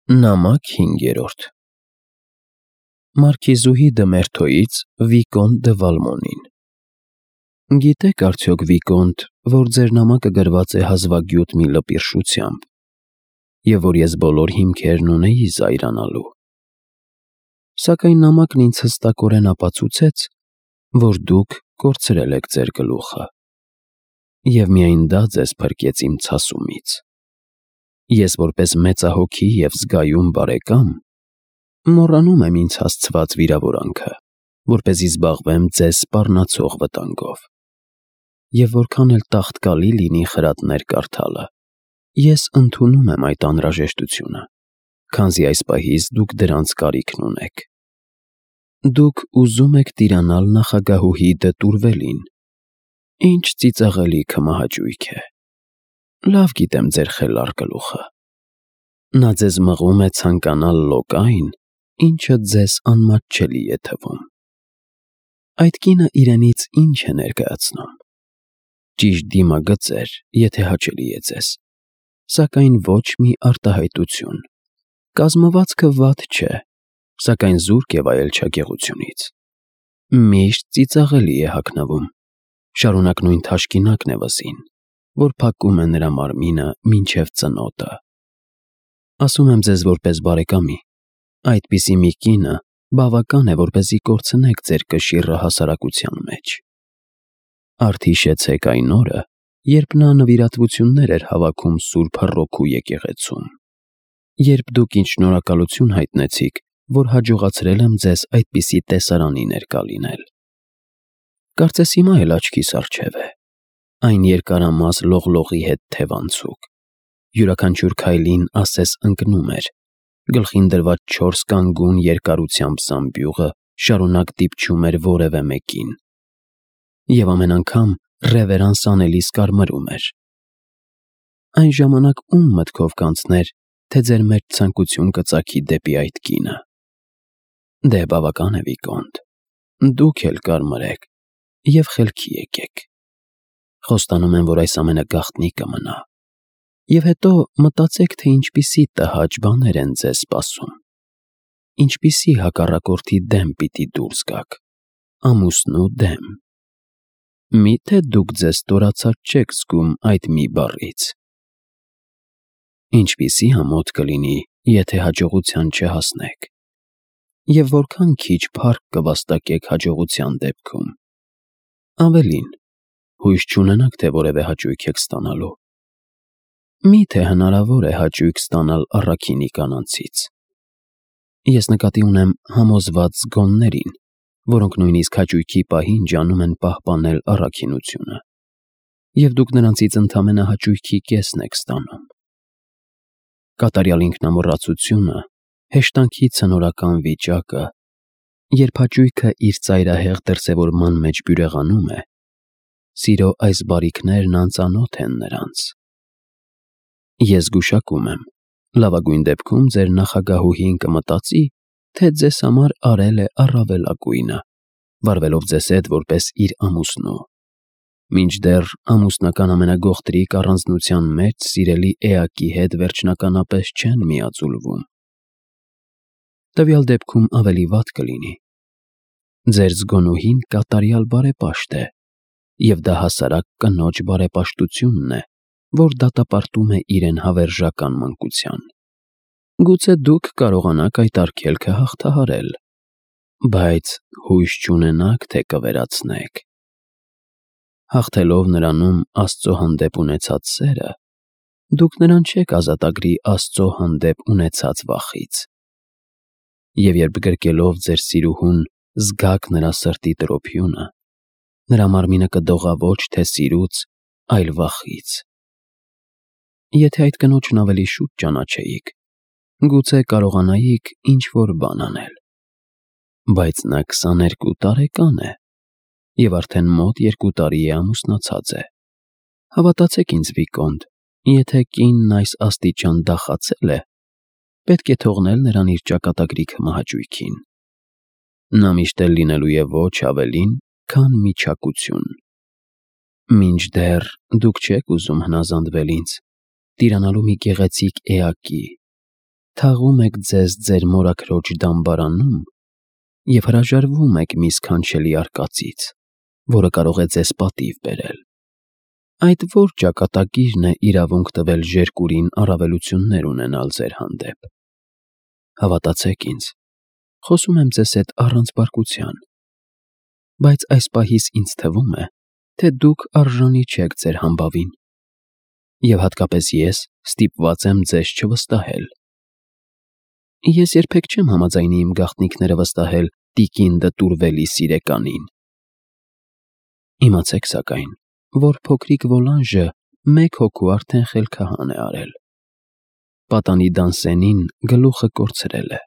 Նամակ 5 Մարքիզուհի դը Մերթոյից Վիկոնտ դը Վալմոնին։ Գիտեք արդյոք, Վիկոնտ, որ ձեր նամակը գրված է հազվագյուտ մի լպիրշությամբ, և որ ես բոլոր հիմքերն ունեի զայրանալու։ Սակայն նամակն ինձ հստակորեն ապացուցեց, որ դուք կորցրել եք ձեր գլուխը, և միայն դա ձեզ փրկեց իմ ցասումից։ Ես որպես մեծահոգի և զգայուն բարեկամ մոռանում եմ ինձ հասցված վիրավորանքը, որպեսզի զբաղվեմ ձեզ սպառնացող վտանգով։ Եվ որքան էլ տաղտկալի լինի խրատներ կարդալը, ես ընդունում եմ այդ անհրաժեշտությունը, քանզի այս պահից դուք դրանց կարիքն ունեք։ Դուք ուզում եք տիրանալ նախագահուհի դը Տուրվելին։ Ինչ ծիծաղելի քմահաճույք է։ Լավ գիտեմ ձեր խելառ գլուխը։ Նա ձեզ մղում է ցանկանալ լոկ այն, ինչը ձեզ անմատչելի է թվում։ Այդ կինը իրենից ինչ է ներկայացնում։ Ճիշտ դիմագծեր, եթե հաճելի է ձեզ, սակայն ոչ մի արտահայտություն։ Կազմվածքը վատ չէ, սակայն զուրկ է վայելչագեղությունից։ Միշտ ծիծաղելի է հագնվում, շարունակ նույն թաշկինակն է վզին, որ փակում է նրա մարմինը մինչև ծնոտը։ Ասում եմ ձեզ որպես բարեկամի, այդպիսի մի կինը բավական է, որպեսզի կորցնեք ձեր կշիռը հասարակության մեջ։ Արդ հիշեցեք այն օրը, երբ նա նվիրատվություններ էր հավաքում Սուրբ Հռոքու եկեղեցում, երբ դուք ինձ շնորհակալություն հայտնեցիք, որ հաջողացրել եմ ձեզ այդպիսի տեսարանի ներկա լինել։ Կարծես հիմա էլ աչքիս առջև է, այն երկարամաս լողլողի հետ թևանցուկ, յուրաքանչյուր քայլին ասես ընկնում էր, գլխին դրված 4 կանգուն երկարությամբ զամբյուղը շարունակ դիպչում էր որևէ մեկին, և ամեն անգամ ռևերանս անելիս կարմրում էր։ Այն ժամանակ ում մտքով կանցներ, թե ձեր մեջ ցանկություն կծագի դեպի այդ կինը։ Դե բավական է, Վիկոնտ, դուք էլ կարմրեք և խելքի եկեք։ Խոստանում եմ, որ այս ամենը գաղտնի կմնա։ Եվ հետո մտածեք, թե ինչպիսի տհաճ բաներ են ձեզ սպասում։ Ինչպիսի հակառակորդի դեմ պիտի դուրս գաք, ամուսնու դեմ։ Միթե դուք ձեզ ստորացած չեք զգում այդ մի բառից։ Ինչպիսի ամոթ կլինի, եթե հաջողության չհասնեք։ Եվ որքան քիչ փառք կվաստակեք հաջողության դեպքում։ Ավելին, հույս չունենաք, թե որևէ հաճույք եք ստանալու։ Միթե հնարավոր է հաճույք ստանալ առաքինի կանանցից։ Ես նկատի ունեմ համոզված զգոններին, որոնք նույնիսկ հաճույքի պահին ջանում են պահպանել առաքինությունը, և դուք նրանցից ընդամենը հաճույքի կեսն եք ստանում։ Կատարյալ ինքնամոռացությունը, հեշտանքի ցնորական վիճակը, երբ հաճույքը իր ծայրահեղ դրսևորման մեջ բյուրեղանում է, սիրո այս բարիքներն անծանոթ են նրանց։ Ես զգուշակում եմ, լավագույն դեպքում ձեր նախագահուհին կմտածի, թե ձեզ համար արել է առավելագույնը, վարվելով ձեզ հետ որպես իր ամուսնու, մինչդեռ ամուսնական ամենագողտրիկ առանձնության մեջ սիրելի էակի հետ վերջնականապես չեն միաձուլվում։ Տվյալ դեպքում ավելի վատ կլինի։ Ձեր զգոնուհին կատարյալ բարեպաշտ է, և դա հասարակ կնոջ բարեպաշտությունն է, որ դատապարտում է իրեն հավերժական մանկության։ Գուցե դուք կարողանաք այդ արգելքը հաղթահարել, բայց հույս չունենաք, թե կվերացնեք։ Հաղթելով նրանում Աստծո հանդեպ ունեցած սերը, դուք նրան չեք ազատագրի Աստծո հանդեպ ունեցած վախից։ Եվ երբ գրկելով ձեր սիրուհուն զգաք նրա սրտի տրոփյունը, նրա մարմինը կդողա ոչ թե սիրուց, այլ վախից։ Եթե այդ կնոջն ավելի շուտ ճանաչեիք, գուցե կարողանայիք ինչ-որ բան անել։ Բայց նա 22 տարեկան է, և արդեն մոտ 2 տարի է ամուսնացած է։ Հավատացեք ինձ, Վիկոնտ, եթե կինն այս աստիճան դախացել է, պետք է թողնել նրան իր ճակատագրի քմահաճույքին։ Նա միշտ էլ լինելու է ոչ ավելին, քան միչակություն։ Մինչդեռ դուք չեք ուզում հնազանդվել ինձ, տիրանալու մի գեղեցիկ էակի, թաղում եք ձեզ ձեր մորաքրոջ դամբարանում և հրաժարվում եք մի սքանչելի արկածից, որը կարող է ձեզ պատիվ բերել։ Այդ ո՞ր ճակատագիրն է իրավունք տվել ժերկուրին առավելություններ ունենալ ձեր հանդեպ։ Հավատացեք ինձ, խոսում եմ ձեզ հետ առանց բարկության, բայց այս պահիս ինձ թվում է, թե դուք արժանի չեք ձեր համբավին, և հատկապես ես ստիպված եմ ձեզ չվստահել։ Ես երբեք չեմ համաձայնի իմ գաղտնիքները վստահել տիկին Դտուրվելի սիրեկանին։ Իմացեք սակայն, որ փոքրիկ Վոլանժը մեկ հոգու արդեն խելքահան է արել։ Պատանի Դանսենին գլուխը կորցրել է։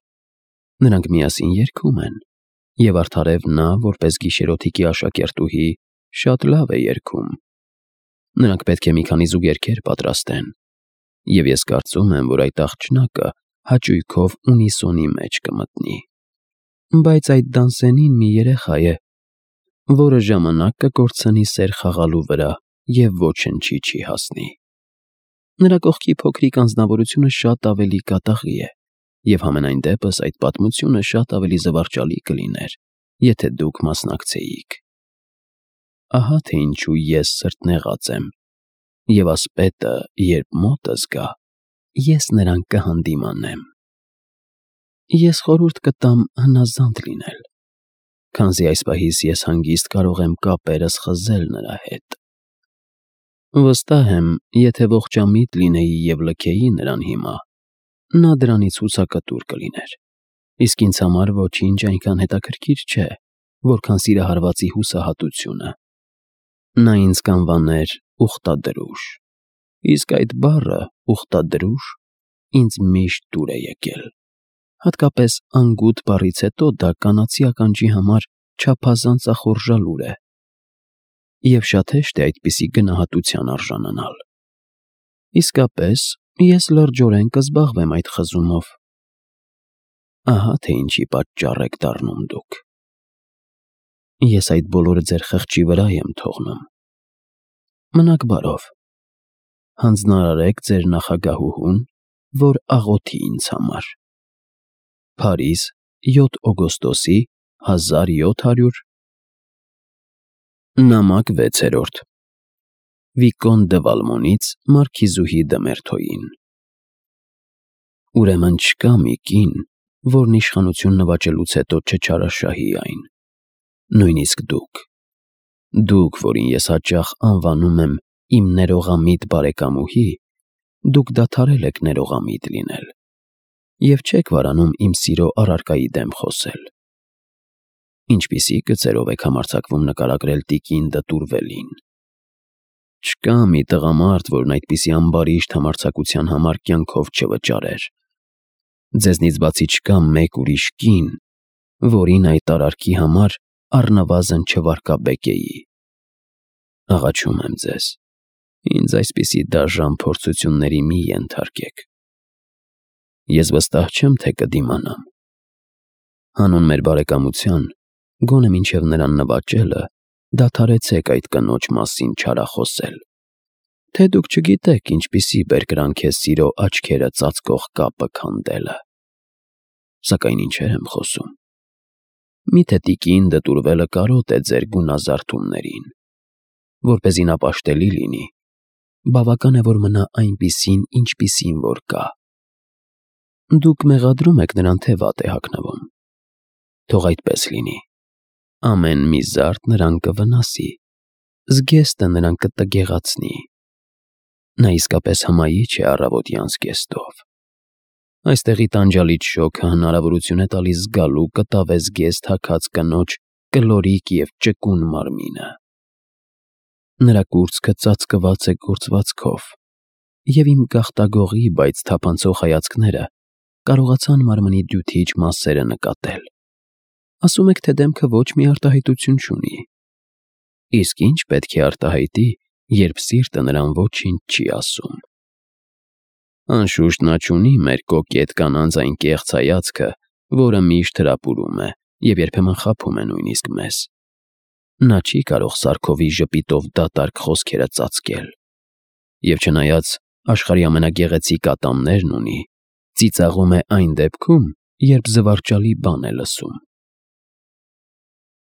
Նրանք միասին երգում են, և արդարև նա, որպես գիշերօթիկի աշակերտուհի, շատ լավ է երգում։ Նրանք պետք է մի քանի զուգ երգեր պատրաստեն, և ես կարծում եմ, որ այդ աղջնակը հաճույքով ունիսոնի մեջ կմտնի։ Բայց այդ Դանսենին մի երեխա է, որը ժամանակ կկորցնի սեր խաղալու վրա և ոչնչի չի հասնի։ Նրա կողքի փոքրիկ անձնավորությունը շատ ավելի կատաղի է, և համենայն դեպս այդ պատմությունը շատ ավելի զվարճալի կլիներ, եթե դուք մասնակցեիք։ Ահա թե ինչու ես սրտնեղած եմ, և ասպետը, երբ մոտս գա, ես նրան կհանդիմանեմ։ Ես խորհուրդ կտամ հնազանդ լինել, քանզի այս պահիս ես հանգիստ կարող եմ կապերս խզել նրա հետ։ Վստահ եմ, եթե ողջամիտ լինեի և լքեի նրան հիմա, նա դրանից հուսակտուր կլիներ, իսկ ինձ համար ոչինչ այնքան հետաքրքիր չէ, որքան սիրահարվածի հուսահատությունը։ Նա ինձ կանվաներ ուխտադրուժ, իսկ այդ բառը ուխտադրուժ ինձ միշտ դուր է եկել։ Հատկապես անգութ բառից հետո դա կանացի ականջի համար չափազանց ախորժալուր է, և շատ հեշտ է այդպիսի գնահատության արժանանալ։ Իսկապես, ես լրջորեն կզբաղվեմ այդ խզումով։ Ահա թե ինչի պատճառ եք դառնում դուք։ Ես այդ բոլորը ձեր խղճի վրա եմ թողնում։ Մնաք բարով, հանձնարարեք ձեր նախագահուհուն, որ աղոթի ինձ համար։ Փարիզ, 7 օգոստոսի 1700 Նամակ 6-րդ Վիկոն դը Վալմոնից մարքիզուհի դը Մերթոյին։ Ուրեմն չկա մի կին, որն իշխանություն նվաճելուց հետո չչարաշահի այն, նույնիսկ դուք, որին ես հաճախ անվանում եմ իմ ներողամիտ բարեկամուհի, դուք դադարել եք ներողամիտ լինել և չեք վարանում իմ սիրո առարկայի դեմ խոսել։ Ինչպիսի գծերով եք համարձակվում նկարագրել տիկին Դտուրվելին։ Չկա մի տղամարդ, որն այդպիսի ամբարիշտ համարձակության համար կյանքով չվճարեր։ Ձեզնից բացի չկա մեկ ուրիշ կին, որին այդ արարքի համար առնվազն չվարկաբեկեի։ Աղաչում եմ ձեզ, ինձ այսպիսի դաժան փորձությունների մի ենթարկեք։ Ես վստահ չեմ, թե կդիմանամ։ Հանուն մեր բարեկամության, գոնե մինչև նրան նվաճելը, դադարեցեք այդ կնոջ մասին չարախոսել, թե դուք չգիտեք ինչպիսի բերկրանք է սիրո աչքերը ծածկող կապը քանդելը։ Սակայն ինչեր եմ խոսում։ Միթե տիկին Դտուրվելը կարոտ է ձեր գունազարդումներին։ Որպեսզի նա պաշտելի լինի, բավական է, որ մնա այնպիսին, ինչպիսին որ կա։ Դուք մեղադրում եք նրան, թե վատ է հագնվում։ Թող այդպես լինի։ Ամեն մի զարդ նրան կվնասի, զգեստը նրան կտգեղացնի։ Նա իսկապես հմայիչ է առավոտյան զգեստով։ Այստեղի տանջալից շոգը հնարավորություն է տալիս զգալու կտավե զգեստ հագած կնոջ կլորիկ և ճկուն մարմինը։ Նրա կուրծքը ծածկված է գործվածքով, և իմ գաղտագողի, բայց թափանցող հայացքները կարողացան մարմնի դյութիչ մասերը նկատել։ Ասում եք, թե դեմքը ոչ մի արտահայտություն չունի։ Իսկ ինչ պետք է արտահայտի, երբ սիրտը նրան ոչինչ չի ասում։ Անշուշտ նա չունի մեր կոկետ կանանց այն կեղծ հայացքը, որը միշտ հրապուրում է և երբեմն խաբում է նույնիսկ մեզ։ Նա չի կարող սարքովի ժպիտով դատարկ խոսքերը ծածկել։ Եվ չնայած աշխարհի ամենագեղեցիկ ատամներն ունի, ծիծաղում է այն դեպքում, երբ զվարճալի բան է լսում։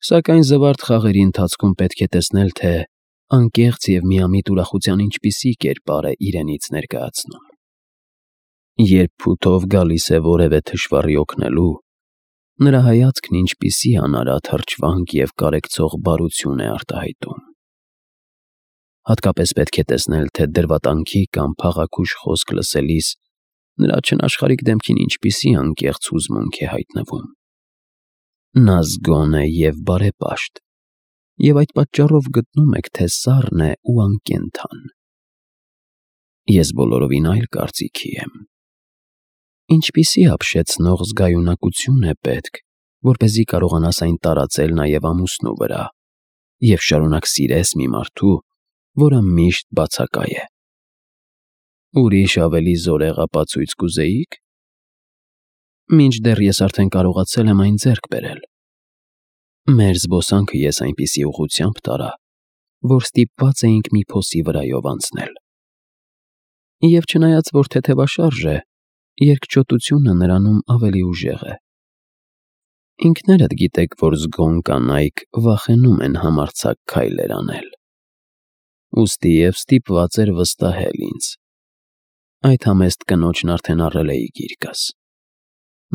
Սակայն զվարթ խաղերի ընթացքում պետք է տեսնել, թե անկեղծ և միամիտ ուրախության ինչպիսի կերպար է իրենից ներկայացնում։ Երբ փութով գալիս է որևէ թշվառի օգնելու, նրա հայացքն ինչպիսի անարատ հրճվանք և կարեկցող բարություն է արտահայտում։ Հատկապես պետք է տեսնել, թե դրվատանքի կամ փաղաքուշ խոսք լսելիս նրա չնաշխարհիկ դեմքին ինչպիսի անկեղծ հուզմունք է հայտնվում։ Նա զգոն է և բարեպաշտ, և այդ պատճառով գտնում եք, թե սառն է ու անկենդան։ Ես բոլորովին այլ կարծիքի եմ։ Ինչպիսի ապշեցնող զգայունակություն է պետք, որպեսզի կարողանաս այն տարածել նաև ամուսնու վրա և շարունակ սիրես մի մարդու, որը միշտ բացակայ է։ Ուրիշ ավելի զորեղ ապացույց կուզեի՞ք։ Մինչդեռ ես արդեն կարողացել եմ այն ձեռք բերել։ Մեր զբոսանքը ես այնպիսի ուղղությամբ տարա, որ ստիպված էինք մի փոսի վրայով անցնել։ Եվ չնայած որ թեթևաշարժ է, երկչոտությունը նրանում ավելի ուժեղ է։ Ինքներդ գիտեք, որ զգոն կանայք վախենում են համարձակ քայլեր անել։ Ուստի և ստիպված էր վստահել ինձ։ Այդ համեստ կնոջն արդեն առել էի գիրկս։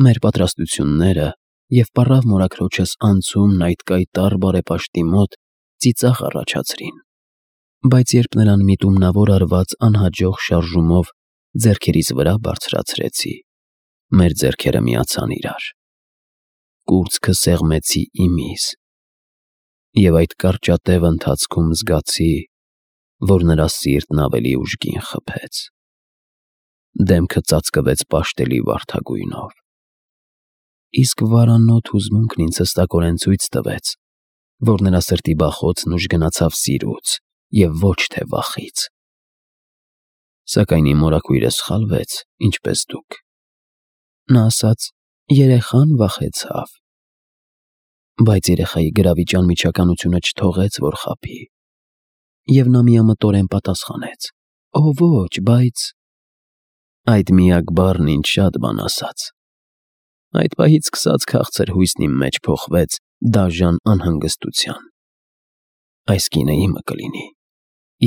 Մեր պատրաստությունները և պառավ մորաքրոջս անցումն այդ կայտառ բարեպաշտի մոտ ծիծաղ առաջացրին, բայց երբ նրան միտումնավոր արված անհաջող շարժումով ձեռքերիս վրա բարձրացրեցի, մեր ձեռքերը միացան իրար։ Կուրծքը սեղմեցի իմիս, և այդ կարճատև ընթացքում զգացի, որ նրա սիրտն ավելի ուժգին խփեց։ Դեմքը ծածկվեց պաշտելի վարդագույնով։ Իսկ վարանոտ հուզմունքն ինձ հստակորեն ցույց տվեց, որ նրա սրտի բախոցն ուժգնացավ սիրուց և ոչ թե վախից։ Սակայն իմ մորաքույրը սխալվեց, ինչպես դուք։ Նա ասաց. «Երեխան վախեցավ»։ Բայց երեխայի գրավիչ անմիջականությունը չթողեց, որ խաբի։ Եվ նա միամտորեն պատասխանեց. «Օ ոչ, բայց…» Այդ միակ բառն ինձ շատ բան ասաց։ Այդ պահից սկսած քաղցր հույսն իմ մեջ փոխվեց դաժան անհանգստության։ Այս կինը իմը կլինի։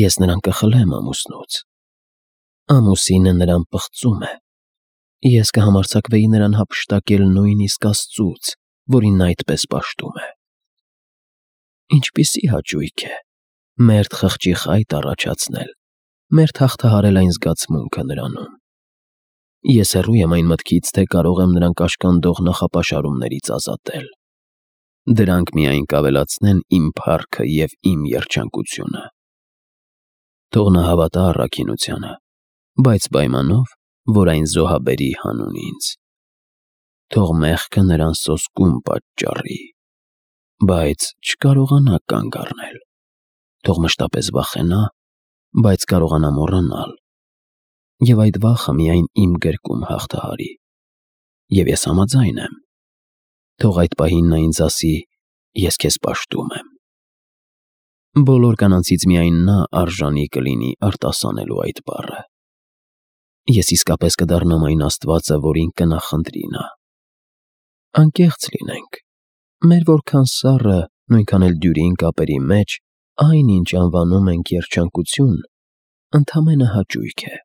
Ես նրան կխլեմ ամուսնուց։ Ամուսինը նրան պղծում է։ Ես կհամարձակվեի նրան հափշտակել նույնիսկ Աստծուց, որին նա այդպես պաշտում է։ Ինչպիսի հաճույք է մերթ խղճի խայտ առաջացնել, մերթ հաղթահարել այն զգացմունքը նրանում։ Ես հեռու եմ այն մտքից, թե կարող եմ նրան կաշկանդող նախապաշարումներից ազատել։ Դրանք միայն կավելացնեն իմ փառքը և իմ երջանկությունը։ Թող նա հավատա առաքինությանը, բայց պայմանով, որ այն զոհաբերի հանուն ինձ։ Թող մեղքը նրան սոսկում պատճառի, բայց չկարողանա կանգ առնել։ Թող մշտապես վախենա, բայց կարողանա մոռանալ։ Եվ այդ վախը միայն իմ գրկում հաղթահարի։ Եվ ես համաձայն եմ։ Թող այդ պահին նա ինձ ասի. «Ես քեզ պաշտում եմ»։ Բոլոր կանանցից միայն նա արժանի կլինի արտասանելու այդ բառը։ Ես իսկապես կդառնամ այն Աստվածը, որին կնախընտրի նա։ Անկեղծ լինենք։ Մեր որքան սառը, նույնքան էլ դյուրին կապերի մեջ այն, ինչ անվանում ենք երջանկություն, ընդամենը հաճույք է։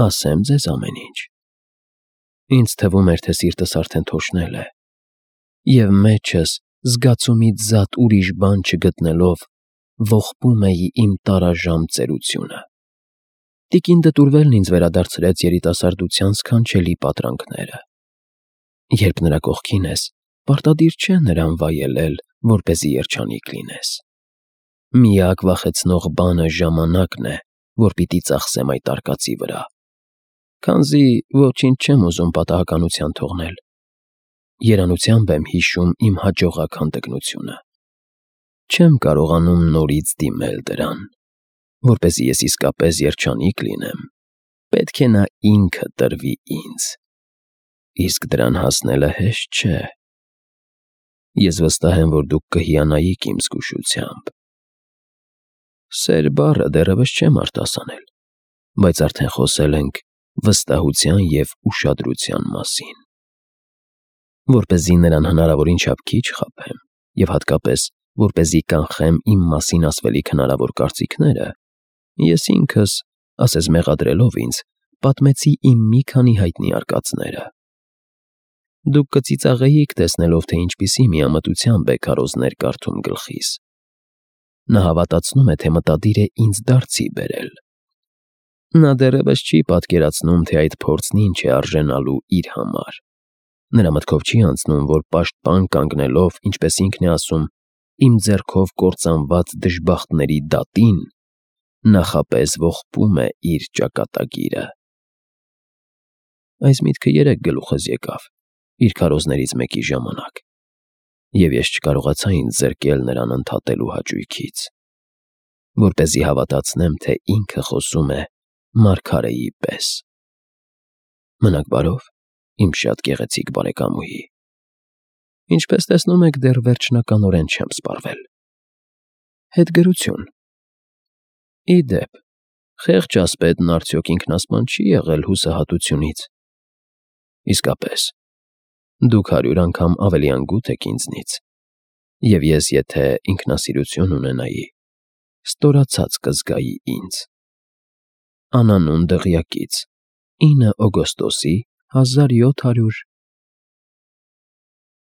Ասեմ ձեզ ամեն ինչ։ Ինձ թվում էր, թե սիրտս արդեն թոշնել է, և մեջս զգացումից զատ ուրիշ բան չգտնելով ողբում էի իմ տարաժամ ծերությունը։ Տիկին Դտուրվելն ինձ վերադարձրեց երիտասարդության սքանչելի պատրանքները։ Երբ նրա կողքին ես, պարտադիր չէ նրան վայելել, որպեսզի երջանիկ լինես։ Միակ վախեցնող բանը ժամանակն է, որ պիտի ծախսեմ այդ արկածի վրա, քանզի ոչինչ չեմ ուզում պատահականության թողնել։ Երանությամբ եմ հիշում իմ հաջողակ հանդգնությունը։ Չեմ կարողանում նորից դիմել դրան։ Որպեսզի ես իսկապես երջանիկ լինեմ, պետք է նա ինքը տրվի ինձ։ Իսկ դրան հասնելը հեշտ չէ։ Ես վստահ եմ, որ դուք կհիանայիք իմ զգուշությամբ։ Սեր բառը դեռևս չեմ արտասանել, բայց արդեն խոսել ենք վստահության և ուշադրության մասին։ Որպեսզի նրան հնարավորին չափ քիչ խաբեմ և հատկապես որպեսզի կանխեմ իմ մասին ասվելիք հնարավոր կարծիքները, ես ինքս, ասես մեղադրելով ինձ, պատմեցի իմ մի քանի հայտնի արկածները։ Դուք կծիծաղեիք, տեսնելով, թե ինչպիսի միամտությամբ է քարոզներ կարդում գլխիս։ Նա հավատացնում է, թե մտադիր է ինձ դարձի բերել։ Նա դեռևս չի պատկերացնում, թե այդ փորձն ինչ է արժենալու իր համար։ Նրա մտքով չի անցնում, որ պաշտպան կանգնելով, ինչպես ինքն է ասում, իմ ձեռքով կործանված դժբախտների դատին, նախապես ողբում է իր ճակատագիրը։ Այս միտքը երեկ գլուխս եկավ, իր քարոզներից մեկի ժամանակ, և ես չկարողացա ինձ զրկել նրան ընդհատելու հաճույքից, որպեսզի հավատացնեմ, թե ինքը խոսում է մարգարեի պես։ Մնաք բարով, իմ շատ գեղեցիկ բարեկամուհի։ Ինչպես տեսնում եք, դեռ վերջնականորեն չեմ սպառվել։ Հետգրություն։ Ի դեպ, խեղճ ասպետն արդյոք ինքնասպան չի եղել հուսահատությունից։ Իսկապես, դուք 100 անգամ ավելի անգութ եք ինձնից, և ես եթե ինքնասիրություն ունենայի, ստորացած կզգայի ինձ։ Անանուն դղյակից 9 օգոստոսի 1700